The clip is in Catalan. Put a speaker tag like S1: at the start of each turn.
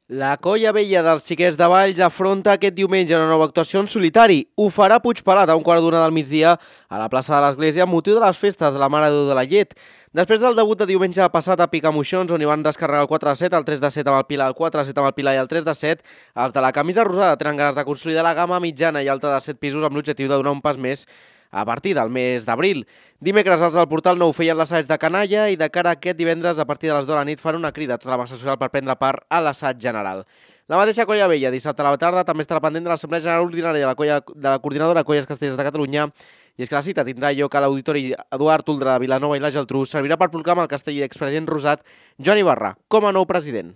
S1: La Colla Vella dels Xiquets de Valls afronta aquest diumenge una nova actuació en solitari. Ho farà a Puigpelat a un quart d'una del migdia a la plaça de l'Església amb motiu de les festes de la Mare de Déu de la Llet. Després del debut de diumenge passat a Picamoixons, on hi van descarregar el 4-7, el 3-7 amb el Pilar, el 4-7 amb el Pilar i el 3-7, els de la camisa rosada tenen ganes de consolidar la gamma mitjana i alta de 7 pisos amb l'objectiu de donar un pas més a partir del mes d'abril. Dimecres els del Portal Nou feien l'assaig de canalla i de cara a aquest divendres a partir de les 10 de la nit fan una crida a tota la massa social per prendre part a l'assaig general. La mateixa Colla Vella dissabte a la tarda també estarà pendent de l'Assemblea General Ordinària de la Coordinadora Colles Castellers de Catalunya, i és que la cita tindrà lloc a l'Auditori Eduard Uldra de Vilanova i la Geltrú. Servirà per proclamar el casteller expresident rosat Joan Ibarra com a nou president.